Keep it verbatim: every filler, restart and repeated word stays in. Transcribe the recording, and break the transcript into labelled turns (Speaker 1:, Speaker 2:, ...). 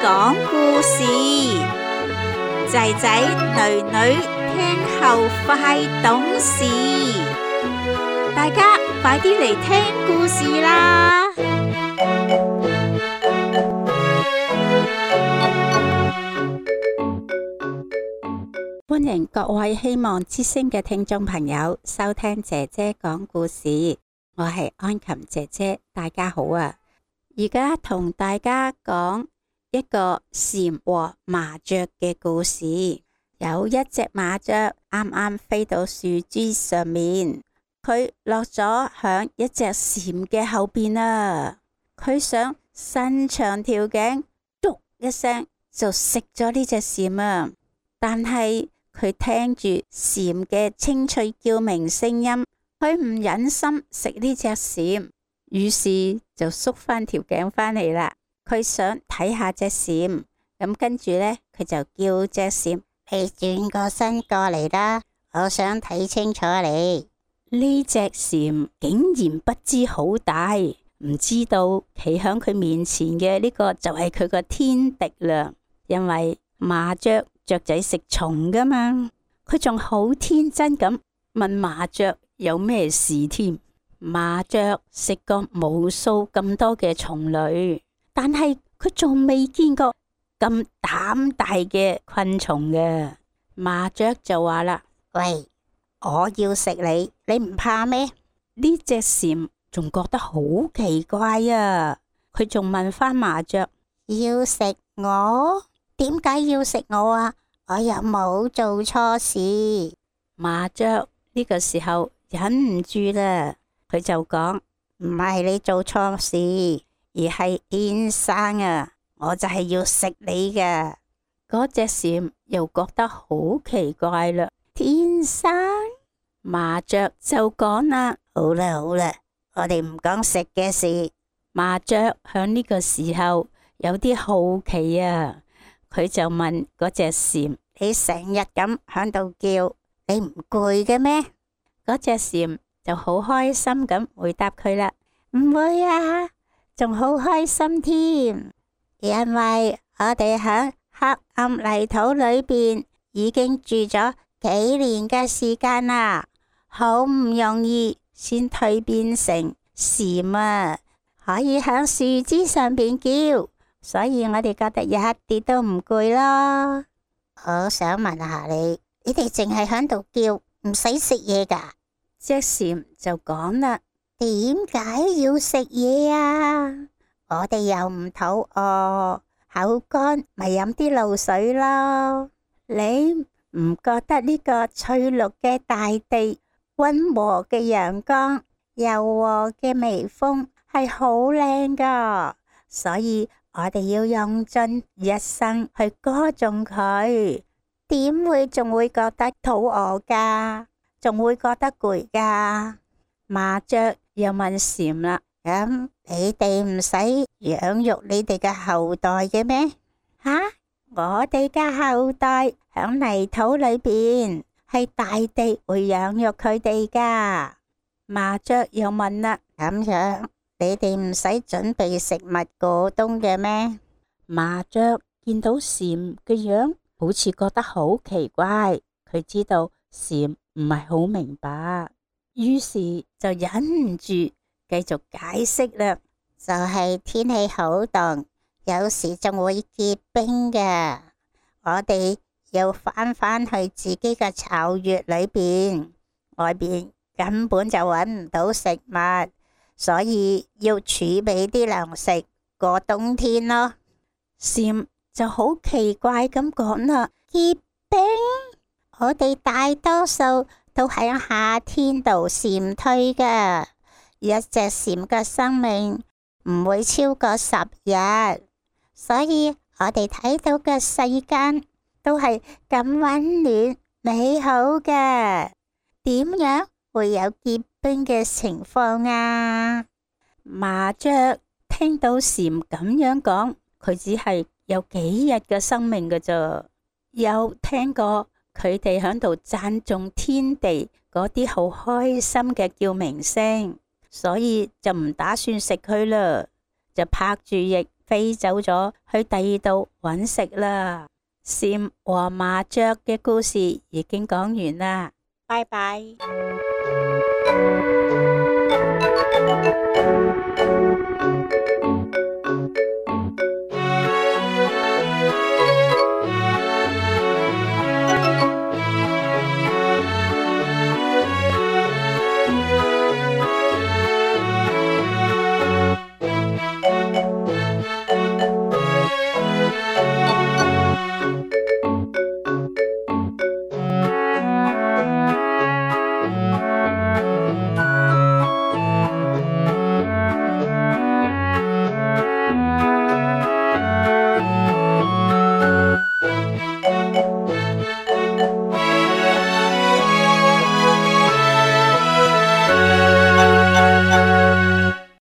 Speaker 1: 講故事，仔仔女女聽後快懂事，大家快啲嚟聽故事啦！歡迎各位希望之聲嘅聽眾朋友收聽姐姐講故事，我係安琴姐姐，大家好啊！而家同大家講一個蟬和麻雀嘅故事。有一隻麻雀啱啱飛到樹枝上面，佢落咗響一隻蟬嘅後邊啊！佢想伸長條頸，篤一聲就食咗呢隻蟬啊！但係佢聽住蟬嘅清脆叫鳴聲音，佢唔忍心食呢隻蟬，於是就縮翻條頸返嚟啦。佢想睇下隻蟬，咁跟住呢，佢就叫隻蟬：你轉個身過嚟啦，我想睇清楚你。呢隻蟬竟然不知好大，唔知道企喺佢面前嘅呢個就係佢個天敵啦。因為麻雀雀仔食蟲噶嘛，佢仲好天真咁問麻雀有咩事添。麻雀食過無數咁多嘅蟲類，但係佢仲未見過咁膽大嘅昆蟲嘅。麻雀就話啦：喂，我要食你，你唔怕咩？呢隻蟬仲覺得好奇怪啊！佢仲問翻麻雀：要食我？點解要食我啊？我又冇做錯事。麻雀呢個時候忍唔住啦，佢就講：唔係你做錯事，而係天生啊！我就係要食你嘅。嗰隻蟬又覺得好奇怪啦。天生？麻雀就講啦：好啦好啦，我哋唔講食嘅事。麻雀響呢個時候有啲好奇啊，佢就問嗰隻蟬：你成日咁響度叫，你唔攰嘅咩？嗰隻蟬就好開心咁回答佢啦：唔會啊，仲好開心添，因為我哋喺黑暗泥土裏邊已經住咗幾年嘅時間啦，好唔容易先蛻變成蟬啊，可以喺樹枝上邊叫，所以我哋覺得一啲都唔攰咯。我想問下你，你哋淨係喺度叫，唔使食嘢噶？隻蟬就講啦：點解要食嘢啊？我哋又唔肚餓，口乾咪飲啲露水咯。你唔覺得呢個翠綠嘅大地、溫和嘅陽光、柔和嘅微風係好靚噶？所以我哋要用盡一生去歌頌佢，點會仲會覺得肚餓噶？仲會覺得攰噶？麻雀又問蟬啦：咁你哋唔使養育你哋嘅後代嘅咩？吓，我哋嘅後代響泥土裏邊，係大地會養育佢哋噶。麻雀又問啦：咁樣你哋唔使準備食物過冬嘅咩？麻雀見到蟬嘅樣，好似覺得好奇怪，佢知道蟬唔係好明白，於是就忍唔住繼續解釋啦。就係天氣好凍，有時仲會結冰嘅，我哋要返返去自己嘅巢穴裏邊，外邊根本就搵唔到食物，所以要儲備啲糧食過冬天咯。蟬就好奇怪咁講啦：結冰？我哋大多數都喺夏天度蟬退嘅，一隻蟬嘅生命唔會超過十日，所以我哋睇到嘅世間都係咁溫暖美好嘅，點樣會有結冰嘅情況啊？麻雀聽到蟬咁樣講，佢只係有幾日嘅生命㗎咋，又聽過佢哋喺度讚頌天地嗰啲好開心嘅叫鳴聲，所以就唔打算食佢啦，就拍住翼飛走咗去第二度揾食啦。蟬和麻雀嘅故事已經講完啦，拜拜。